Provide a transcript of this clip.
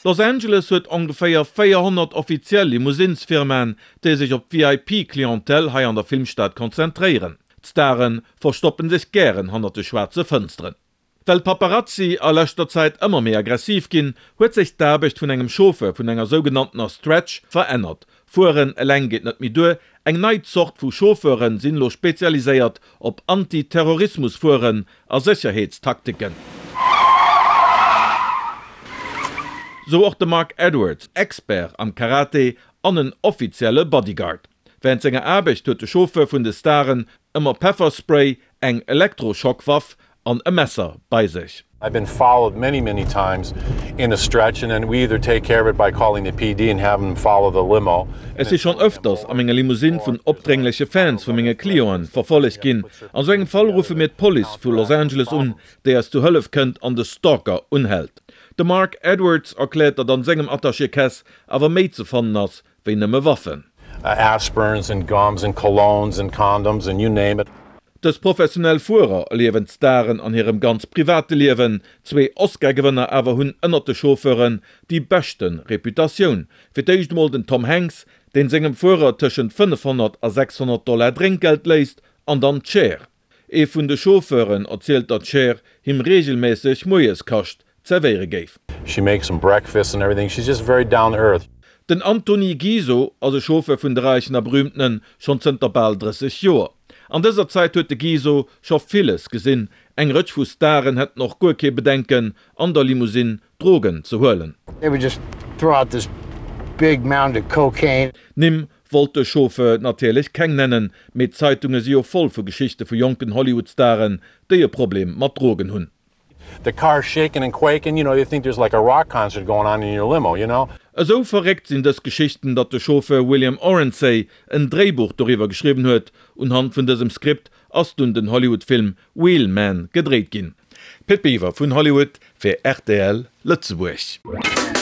Los Angeles huet ongeféier 400 offiziell Limousinsfirmaen, déi sech op d'VIP-Clientèle hei an der Filmstad konzentréieren. D'Stare verstoppen sech gären hannert de schwaarze Fënsteren. Well d'Paparazzi a leschter Zäit ëmmer méi aggressiv ginn, huet sech d'Aarbecht vun engem Chauffeur vun enger sougenanntener Stretch verännert. Fueren eleng geet net méi duer, eng nei Zort vu Chauffeure sinn elo spezialiséiert op Anti-Terrorismus-Fueren a Sécherheetstaktiken. Sou och de Mark Edwards, Expert am Karate an en offizielle Bodyguard. Wärend senger Aarbecht huet de Chauffeur vun de Staren ëmmer Pefferspray, eng Elektrochockwaff an e Messer bei sech. I've been followed many many times in a stretch and then we either take care of it by calling the PD and have them follow the limo. Ech si schonn ëfters a menger Limousine vun opdréngleche Fans vu menge Clienten verfollegt ginn. An sou engem Fall ruffe mir d'Police vu Los Angeles un, déi eis zu Hëllef kënnt an de Stalker unhält. De Mark Edwards erkläert, datt an sengem Attaché-Caisse awer méi ze fannen ass wéi nëmme Waffen. Aspirins and gums and colognes and condoms and you name it. Dës professionell Fuerer erliewen d'Staren an hirem ganz private Liewen. Zwee Oscar-Gewënner awer hunn ënnert de Chauffeuren déi beschte Reputatioun. Fir d'éischt emol den Tom Hanks, deen sengem Fuerer tëschent 500 a 600 Dollar Drénkgeld léisst, an dann d'Cher. Ee vun de Chauffeuren erzielt, datt d'Cher him reegelméisseg Moieskascht zerwéiere géif. She makes him breakfast and everything, she's just very down to earth. Den Antony Giso ass e Chauffeur vun de Räichen a Berühmtenen, schonn zënter bal 30 Joer. An dëser Zäit huet de Giso scho villes gesinn. Eng Rëtsch vu Staren hätten och guer kee Bedenken, an der Limousine Drogen ze huelen. They would just throw out this big mound of cocaine. Nimm Wollt de Chauffeur natierlech keng nennen, mee d'Zeitunge si jo voll vu Geschichte vu jonken Hollywood-Staren, déi e Problem mat Drogen hunn. The car's shaking and quaking, you know, you think there's like a rock concert going on in your limo, you know. Esou verréckt sinn dës Geschichten, datt de Chauffeur William Orentsey en Dréibuch doriwwer geschriwwen huet. Unhand vun dësem Skript ass dunn den Hollywood-Film Wheel Man gedréit ginn. Pit Biwer vun Hollywood fir rtl Lëtzebuerg.